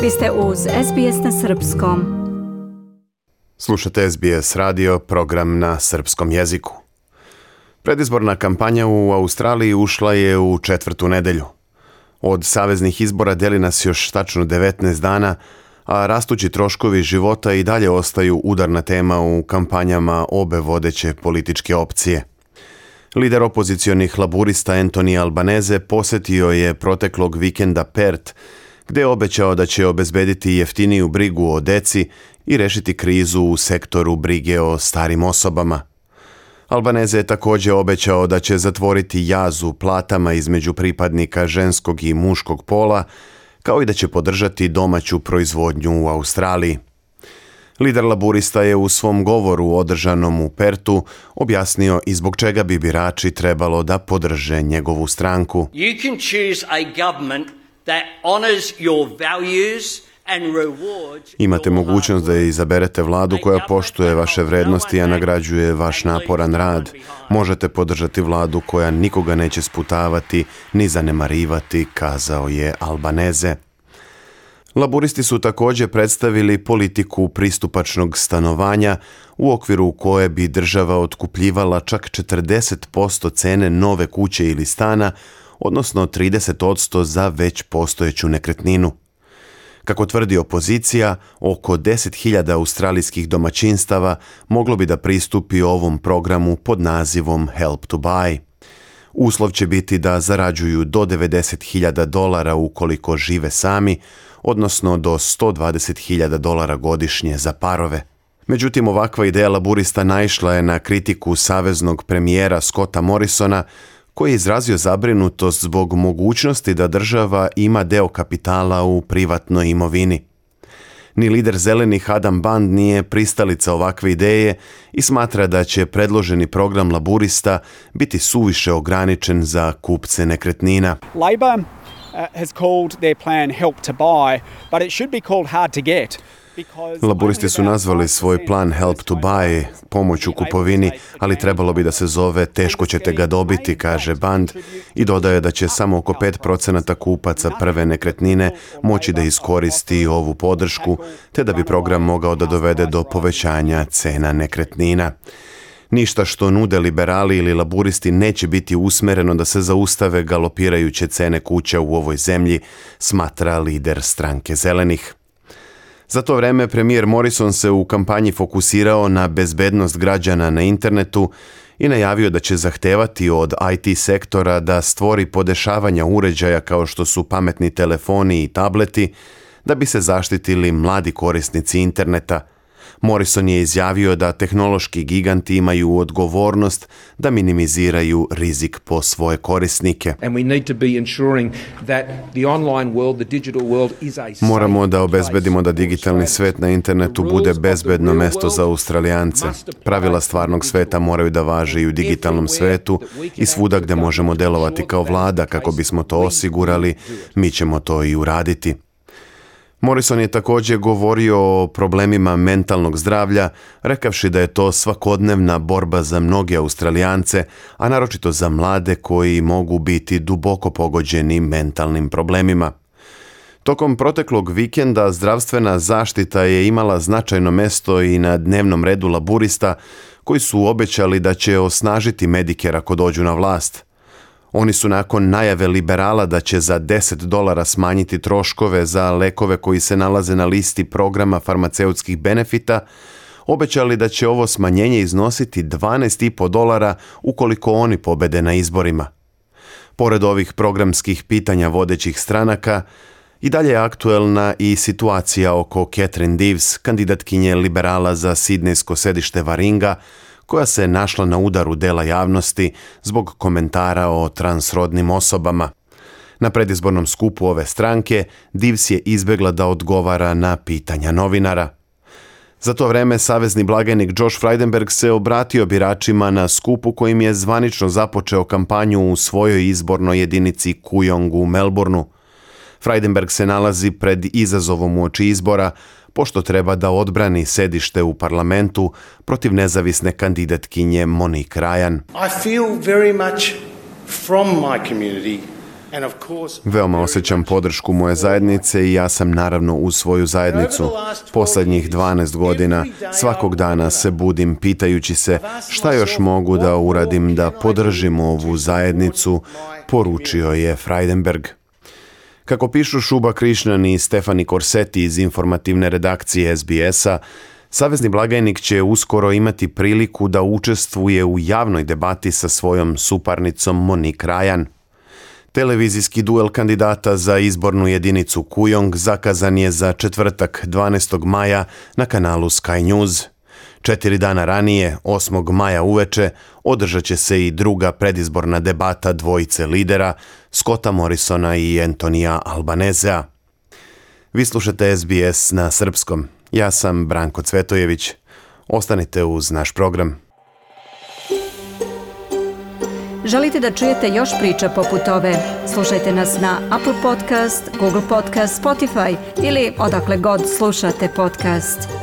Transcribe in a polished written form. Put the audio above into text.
Vi ste uz SBS na srpskom. Slušate SBS radio, program na srpskom jeziku. Predizborna kampanja u Australiji ušla je u 4. nedelju. Od saveznih izbora deli nas još tačno 19 dana, a rastući troškovi života i dalje ostaju udarna tema u kampanjama obe vodeće političke opcije. Lider opozicionih laburista Anthony Albanese posjetio je proteklog vikenda Perth, gdje je obećao da će obezbediti jeftiniju brigu o deci i rešiti krizu u sektoru brige o starim osobama. Albanese je također obećao da će zatvoriti jaz u platama između pripadnika ženskog i muškog pola, kao i da će podržati domaću proizvodnju u Australiji. Lider laburista je u svom govoru održanom u Pertu objasnio i zbog čega bi birači trebalo da podrže njegovu stranku. You can choose a government that honors your values and rewards. Imate mogućnost da izaberete vladu koja poštuje vaše vrednosti, a nagrađuje vaš naporan rad. Možete podržati vladu koja nikoga neće sputavati ni zanemarivati, kazao je Albanese. Laburisti su također predstavili politiku pristupačnog stanovanja u okviru koje bi država otkupljivala čak 40% cene nove kuće ili stana, odnosno 30% za već postojeću nekretninu. Kako tvrdi opozicija, oko 10.000 australijskih domaćinstava moglo bi da pristupi ovom programu pod nazivom Help to Buy. Uslov će biti da zarađuju do $90,000 ukoliko žive sami, odnosno do $120,000 godišnje za parove. Međutim, ovakva ideja laburista naišla je na kritiku saveznog premijera Scotta Morrisona, koji je izrazio zabrinutost zbog mogućnosti da država ima deo kapitala u privatnoj imovini. Ni lider zelenih Adam Band nije pristalica ovakve ideje i smatra da će predloženi program laburista biti suviše ograničen za kupce nekretnina. Labor has called their plan Help to Buy, but it should be called Hard to Get. Laburisti su nazvali svoj plan Help to Buy, pomoć u kupovini, ali trebalo bi da se zove Teško ćete ga dobiti, kaže Band, i dodaje da će samo oko 5% kupaca prve nekretnine moći da iskoristi ovu podršku, te da bi program mogao da dovede do povećanja cena nekretnina. Ništa što nude liberali ili laburisti neće biti usmereno da se zaustave galopirajuće cene kuća u ovoj zemlji, smatra lider stranke zelenih. Za to vreme premijer Morrison se u kampanji fokusirao na bezbednost građana na internetu i najavio da će zahtevati od IT sektora da stvori podešavanja uređaja kao što su pametni telefoni i tableti da bi se zaštitili mladi korisnici interneta. Morrison je izjavio da tehnološki giganti imaju odgovornost da minimiziraju rizik po svoje korisnike. Moramo da obezbedimo da digitalni svet na internetu bude bezbedno mesto za Australijance. Pravila stvarnog sveta moraju da važe i u digitalnom svetu i svuda gde možemo delovati kao vlada kako bismo to osigurali, mi ćemo to i uraditi. Morrison je također govorio o problemima mentalnog zdravlja, rekavši da je to svakodnevna borba za mnoge Australijance, a naročito za mlade koji mogu biti duboko pogođeni mentalnim problemima. Tokom proteklog vikenda zdravstvena zaštita je imala značajno mesto i na dnevnom redu laburista, koji su obećali da će osnažiti Medicare ako dođu na vlast. Oni su nakon najave liberala da će za $10 smanjiti troškove za lekove koji se nalaze na listi programa farmaceutskih benefita, obećali da će ovo smanjenje iznositi $12,5 ukoliko oni pobede na izborima. Pored ovih programskih pitanja vodećih stranaka, i dalje je aktuelna i situacija oko Catherine Deves, kandidatkinje liberala za sidnejsko sedište Waringa, koja se našla na udaru dela javnosti zbog komentara o transrodnim osobama. Na predizbornom skupu ove stranke Deves je izbegla da odgovara na pitanja novinara. Za to vreme savezni blagajnik Josh Frydenberg se obratio biračima na skupu kojim je zvanično započeo kampanju u svojoj izbornoj jedinici Kooyong u Melbourneu. Frydenberg se nalazi pred izazovom uoči izbora, pošto treba da odbrani sedište u parlamentu protiv nezavisne kandidatkinje Monique Ryan. I feel very much from my community Veoma osjećam podršku moje zajednice i ja sam naravno uz svoju zajednicu. Posljednjih 12 godina svakog dana se budim pitajući se šta još mogu da uradim da podržim ovu zajednicu, poručio je Frydenberg. Kako pišu Šuba Krišnan i Stefani Corsetti iz informativne redakcije SBS-a, savezni blagajnik će uskoro imati priliku da učestvuje u javnoj debati sa svojom suparnicom Monique Ryan. Televizijski duel kandidata za izbornu jedinicu Kujong zakazan je za četvrtak 12. maja na kanalu Sky News. 4 dana ranije, 8. maja uveče, održat će se i druga predizborna debata dvojice lidera, Scotta Morrisona i Antonija Albanezea. Vi slušate SBS na srpskom. Ja sam Branko Cvetojević. Ostanite uz naš program. Želite da čujete još priča poput ove? Slušajte nas na Apple Podcast, Google Podcast, Spotify ili odakle god slušate podcast.